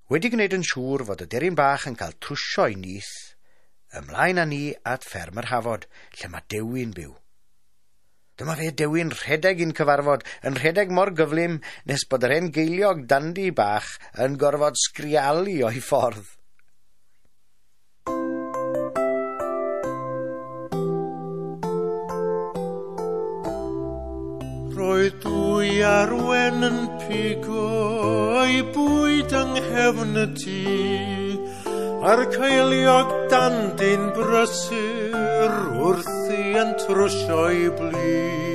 Wedi gwneud yn siŵr fod y deryn bach yn cael trwsio ei nyth, ymlaen â ni at fferm yr Hafod, lle mae Dewi'n byw. Dyma fe Dewi'n rhedeg i'n cyfarfod, yn rhedeg mor gyflym nes bod yr hen geiliog dandi bach yn gorfod sgrialu o'i ffordd. Roedd dwy arwen yn pigo ei bwyd yng nghefn y tŷ, a'r ceiliog dandyn brysur wrthi yn trwsio'i blu.